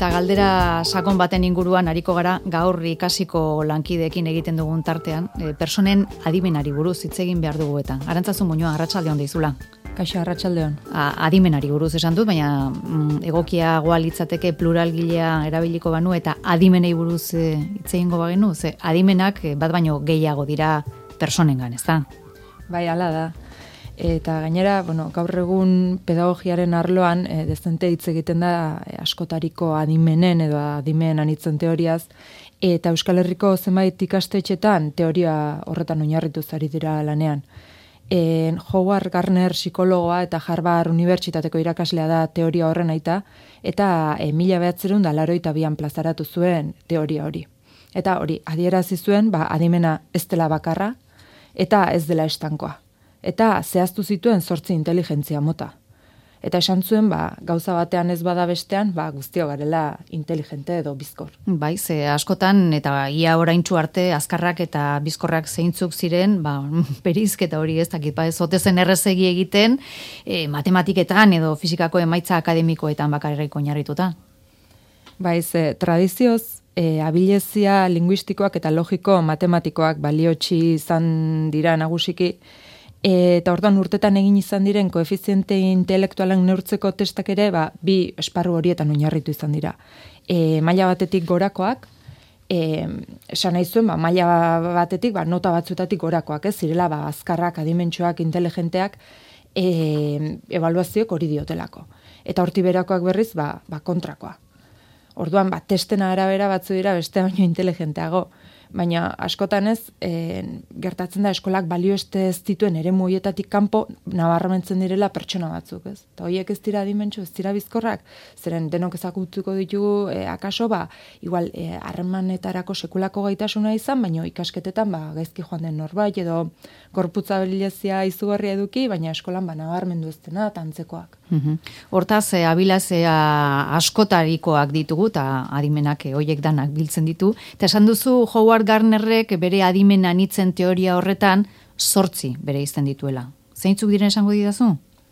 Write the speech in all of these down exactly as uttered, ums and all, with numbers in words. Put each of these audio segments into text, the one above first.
Eta galdera sakon baten inguruan ariko gara gaur ikasiko lankideekin egiten dugun tartean, e, personen adimenari buruz hitz egin behar dugu eta. Arantzazu Muñoa, arratsaldeon deizula. Kaixo, arratsaldeon. Adimenari buruz esan dut, baina mm, egokiagoa litzateke pluralgilea erabiliko banu eta adimenei buruz e, hitz egingo bagenu, ze adimenak e, bat baino gehiago dira personengan, ezta? Bai, hala da. Eta gainera, bueno, gaur egun pedagogiaren arloan e, dezente hitz egiten da e, askotariko adimenen edo adimen anitzen teoriaz, eta Euskal Herriko zenbait ikastetxetan teoria horretan oinarrituz ari dira lanean. E, Howard Gardner psikologoa eta Harvard Unibertsitateko irakaslea da teoria horren aita, eta e, mila bederatziehun eta laurogeita bian plazaratu zuen teoria hori. Eta hori, adierazi zuen, ba, adimena ez dela bakarra, eta ez dela estankoa. Eta zehaztu zituen zortzi inteligentzia mota. Eta esan zuen, ba, gauza batean ez bada bestean, ba, guztio garela inteligente edo bizkor. Bai, ze askotan, eta ia oraintsu arte, azkarrak eta bizkorrak zeintzuk ziren, ba, berizketa hori ez dakit, ba, ez otezen errezegi egiten, e, matematiketan edo fizikako emaitza akademikoetan bakarrik oinarrituta. Bai, ze tradizioz, e, abilezia linguistikoak eta logiko matematikoak baliotsi izan dira nagusiki, eta orduan urtetan egin izan diren koefiziente intelektualen neurtzeko testak ere, ba, bi esparru horietan oinarritu izan dira. E, maila batetik gorakoak, e, esan nahi zuen, ba, maila batetik, ba, nota batzuetatik gorakoak, ez zirela, ba, azkarrak, adimentsuak, inteligenteak, e, ebaluazioek hori diotelako. Eta horti berakoak berriz, ba, ba, kontrakoa. Orduan, ba, testena arabera batzu dira beste baino inteligenteago. Baina askotan ez, e, gertatzen da eskolak balio ez dituen eremu hoietatik kanpo nabarmentzen direla pertsona batzuk, ez? Eta horiek ez dira adimentsu, ez dira bizkorrak, zeren denok ezagutuko ditugu, e, akaso, ba, igual, e, harremanetarako sekulako gaitasuna izan, baina ikasketetan, ba, gaizki joan den norbait, edo gorputza bilezia izugarria eduki, baina eskolan, ba, nabarmendu ez dena, eta antzekoak. Uhum. Hortaz, e, abilazea askotarikoak ditugu, eta adimenak e, hoiek danak biltzen ditu, eta esan duzu Howard Gardnerrek bere adimen anitzen teoria horretan zortzi bere izten dituela. Zeintzuk diren esango didazu?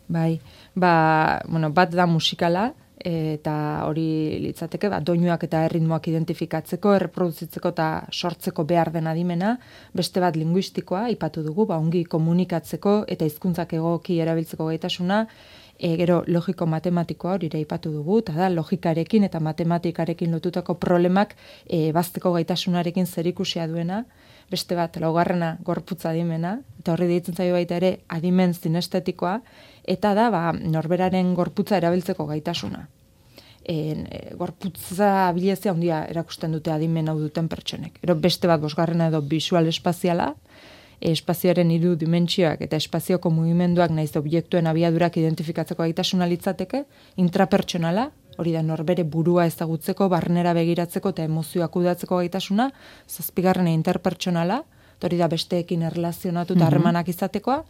Bai, ba, bueno, bat da musikala, eta hori litzateke, ba, doinuak eta erritmoak identifikatzeko, erreproduzitzeko eta sortzeko behar den adimena, beste bat linguistikoa, aipatu dugu, ba, ongi komunikatzeko eta hizkuntzak egoki erabiltzeko gaitasuna, E, gero logiko matematikoa hori aipatu dugu, eta da logikarekin eta matematikarekin lotutako problemak e, bazteko gaitasunarekin zerikusia duena, beste bat laugarrena gorputza adimena, eta horri deitzen zaio baita ere adimen zinestetikoa, eta da ba, norberaren gorputza erabiltzeko gaitasuna. E, e, gorputza abilezia handia erakusten dute adimen hau duten pertsonek. Ero beste bat bosgarrena edo visual espaziala, espazioaren hiru dimentsioak eta espazioko mugimenduak naiz objektuen abiadurak identifikatzeko gaitasuna litzateke, intrapertsonala, hori da norbere burua ezagutzeko, barnera begiratzeko eta emozioak kudeatzeko gaitasuna, zazpigarrena interpertsonala, hori da besteekin erlazionatu eta harremanak izatekoa,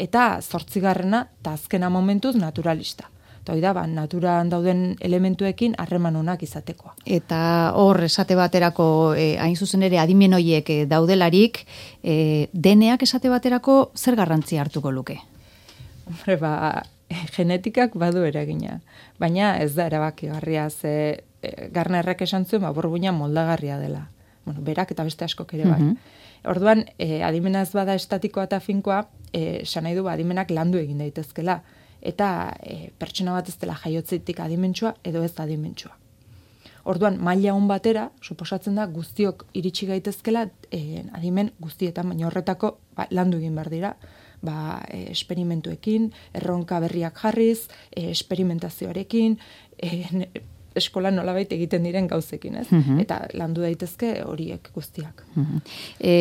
eta zortzigarrena eta azkena momentuz naturalista. Eta hori da, ba, naturan dauden elementuekin harreman onak izatekoa. Eta hor, esate baterako, e, hain zuzen ere, adimen horiek e, daudelarik, e, deneak esate baterako zer garrantzia hartuko luke? Hombre, ba, genetikak badu eragina. Baina ez da erabakigarria, ze e, Gardnerrek esan zuen, ba, burbuina moldagarria dela. Bueno, berak eta beste askok ere bai. Orduan, e, adimena ez bada estatikoa eta finkoa, e, esan nahi du, ba, adimenak landu egin daitezkela. Eta e, pertsona bat ez dela jaiotzetik adimentsua edo ez adimentsua. Orduan, maila on batera, suposatzen da guztiok iritsi gaitezkela e, adimen guztietan, baina horretako ba, landu egin behar dira, ba, e, esperimentuekin, erronka berriak jarriz, e, esperimentazioarekin, e, eskola nolabait egiten diren gauzekin, ez? Uh-huh. Eta landu daitezke horiek guztiak. Uh-huh. E,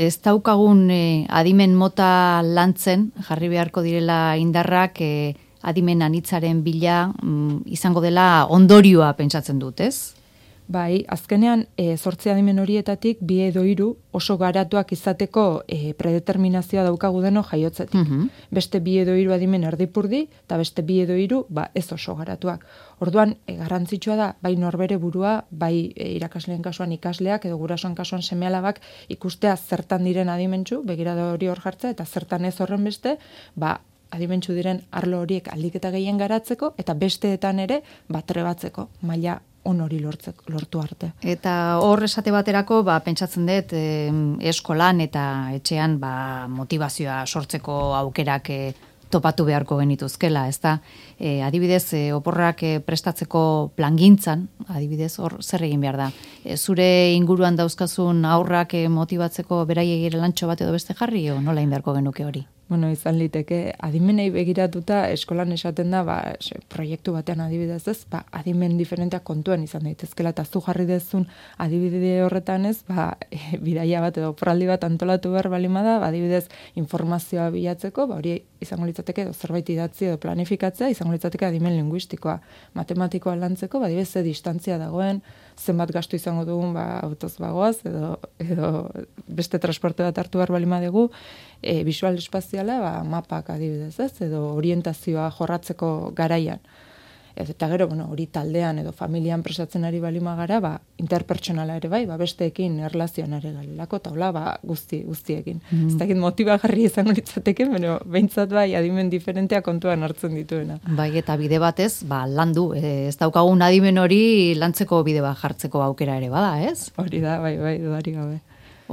ez daukagun e, adimen mota lantzen, jarri beharko direla indarrak, e, adimen anitzaren bila mm, izango dela ondorioa pentsatzen dut, ez? Bai, azkenean, e, zortzi adimen horietatik, bi edo hiru oso garatuak izateko e, predeterminazioa daukagu deno jaiotzetik. Uh-huh. Beste bi edo hiru adimen erdipurdi, eta beste bi edo hiru ba, ez oso garatuak. Orduan, e, garrantzitsua da, bai norbere burua, bai e, irakasleen kasuan ikasleak, edo gurasoan kasuan seme-alabak ikustea zertan diren adimentsu, begirada hori hor jartza, eta zertan ez horren beste, ba, adimentsu diren arlo horiek aldiketa gehien garatzeko, eta besteetan ere, bat trebatzeko, maila on hori lortzek, lortu arte. Eta hor esate baterako, ba, pentsatzen dut, e, eskolan eta etxean ba, motivazioa sortzeko aukerak e, topatu beharko genituzkela, ezta? E, adibidez, e, oporrak e, prestatzeko plangintzan, adibidez, hor zer egin behar da? E, zure inguruan dauzkazun aurrak e, motibatzeko beraiek ere lantxo bat edo beste jarri, o nola egin beharko genuke hori? Bueno, izan liteke, adimenei begiratuta eskolan esaten da, ba, se, proiektu batean adibidez ez, ba, adimen diferenteak kontuan izan daitezkela, eta zu jarri dezun adibide horretan ez, ba, e, bidaia bat edo oporraldi bat antolatu behar balimada, ba, adibidez informazioa bilatzeko, ba, hori izango litzateke edo zerbait idatzi edo planifikatzea, izango litzateke adimen linguistikoa, matematikoa lantzeko, ba, adibidez ze distantzia dagoen, zenbat gastu izango dugun, ba, autoz bagoaz, edo, edo beste transporte bat hartu behar balima dugu, e, visual espaziala, ba, mapak adibidez, ez, edo orientazioa jorratzeko garaian. Eta gero, bueno, hori taldean edo familian presatzen ari balima gara, ba, interpertsonala ere bai, ba, besteekin erlazioan ere galelako, eta hola, ba, guzti, guztiekin. Mm. Ez dakit motibagarri izango litzateke, pero behintzat bai, adimen diferentea kontuan hartzen dituena. Bai, eta bide batez, ba, landu, ez daukagun adimen hori lantzeko bide bat jartzeko aukera ere bada, ez? Hori da, bai, bai, dudari gabe.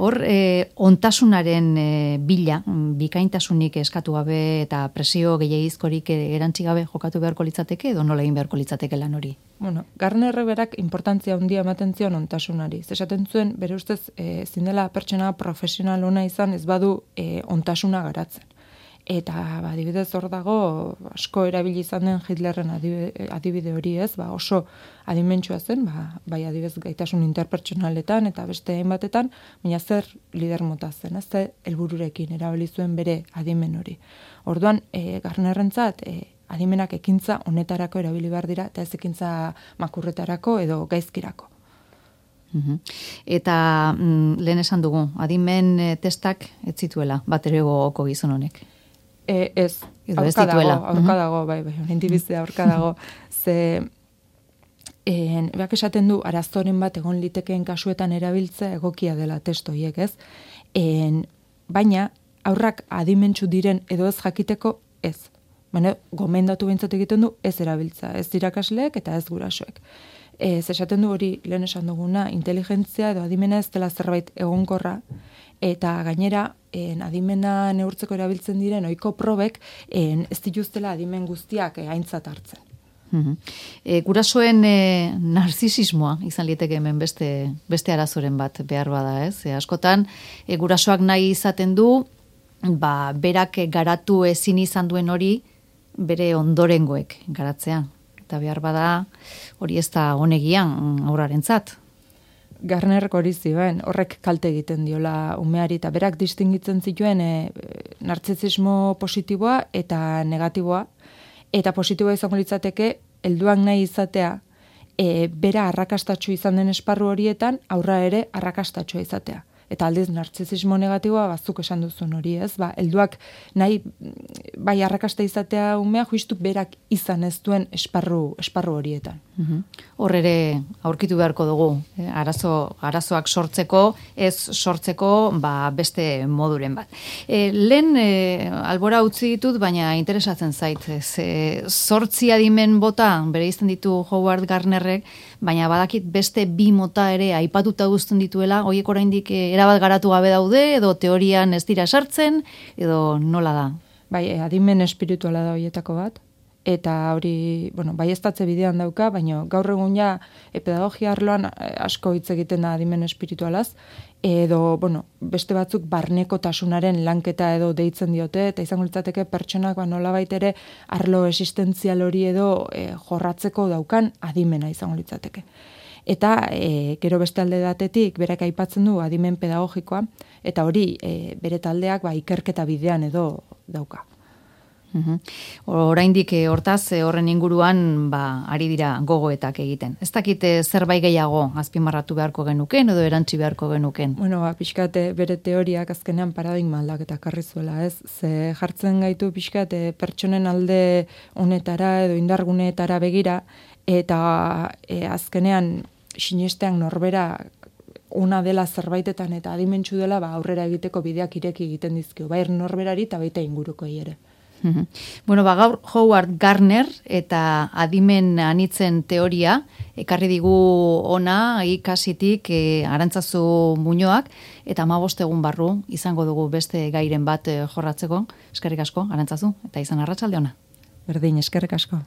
Hor, e, ontasunaren e, bila, bikaintasunik eskatu gabe eta presio gehiagizkorik erantzi gabe jokatu beharko litzateke edo nola egin beharko litzateke lan hori? Bueno, Garnerre berak importantzia handia ematen zion ontasunari. Esaten zuen, bere ustez, e, zindela pertsona profesional ona izan ez badu e, ontasuna garatzen. Eta, ba, adibidez hor dago, asko erabili izan den Hitlerren adibide, adibide hori ez, ba, oso adimentsua zen, ba, bai adibidez gaitasun interpertsonaletan eta beste hainbatetan, baina zer lider mota zen, ez, ze helbururekin erabili zuen bere adimen hori. Orduan, e, Garnerrentzat, e, adimenak ekintza honetarako erabili behar dira, eta ez ekintza makurretarako edo gaizkirako. Eta mm, lehen esan dugu, adimen testak ez zituela, bat ere gogoko gizon honek. E, ez, aurka dago, aurka dago, bai, bai, horrentibizia aurka dago, ze, en, beak esaten du, arazoren bat egon litekeen kasuetan erabiltzea egokia dela testoiek, ez? En, baina, aurrak adimentsu diren edo ez jakiteko, ez. Baina, gomendatu bintzat egiten du, ez erabiltza, ez irakasleek eta ez gurasoek. Ez esaten du hori, lehen esan duguna, inteligentzia edo adimena ez dela zerbait egonkorra, eta gainera, en, adimena neurtzeko erabiltzen diren ohiko probek en, ez dituztela adimen guztiak e, aintzat hartzen. Uh-huh. E, gurasoen e, narzisismoa izan liteke hemen beste, beste arazoren bat behar bada, ez? E, askotan, e, gurasoak nahi izaten du, ba, berak garatu ezin izan duen hori, bere ondorengoek garatzea. Eta behar bada, hori ez da honegian aurrarentzat. Garnerrek hori zioen, horrek kalte egiten diola umeari, eta berak distingitzen zituen e, narzisismo positiboa eta negatiboa, eta positiboa izango litzateke, helduak nahi izatea, e, bera arrakastatxo izan den esparru horietan, aurra ere arrakastatxoa izatea. Eta aldiz, narzisismo negatiboa, bazuk esan duzun hori, ez? Ba, helduak nahi, bai arrakasta izatea umea, juistu berak izan ez duen esparru, esparru horietan. Uhum. Hor ere aurkitu beharko dugu, eh? arazo, arazoak sortzeko, ez sortzeko ba, beste moduren bat. E, lehen e, albora utzi ditut, baina interesatzen zait. Ze, zortzi adimen bota, bere izten ditu Howard Gardnerrek, baina badakit beste bi mota ere aipatuta guztun dituela, horiek oraindik erabat garatu gabe daude, edo teorian ez dira sartzen, edo nola da? Bai, adimen espirituala da horietako bat. Eta hori, bueno, bai estatze bidean dauka, baina gaur egun ja e, pedagogia arloan asko hitz egiten da adimen espiritualaz, edo, bueno, beste batzuk barnekotasunaren lanketa edo deitzen diote, eta izango litzateke pertsonak ba, nolabait ere arlo existentzial hori edo e, jorratzeko daukan adimena izango litzateke. Eta e, gero beste alde batetik berak aipatzen du adimen pedagogikoa, eta hori e, bere taldeak ba, ikerketa bidean edo dauka. Uhum. Oraindik hortaz horren inguruan ba, ari dira gogoetak egiten. Ez dakite zerbait gehiago azpimarratu beharko genuken edo erantzi beharko genuken? Bueno, ba, pixkate bere teoriak azkenean paradigma aldaketa karri zuela, ez? Ze jartzen gaitu pixkate pertsonen alde honetara edo indarguneetara begira, eta e, azkenean sinestean norbera ona dela zerbaitetan eta adimentsu dela ba, aurrera egiteko bideak ireki egiten dizkio, bai norberari eta baita ingurukoei ere. Bueno, ba, gaur Howard Gardner eta adimen anitzen teoria ekarri digu ona ikasitik e, Arantzazu Muñoak eta hamabost egun barru izango dugu beste gairen bat e, jorratzeko. Eskerrik asko, Arantzazu, eta izan arratsalde ona. Berdin, eskerrik asko.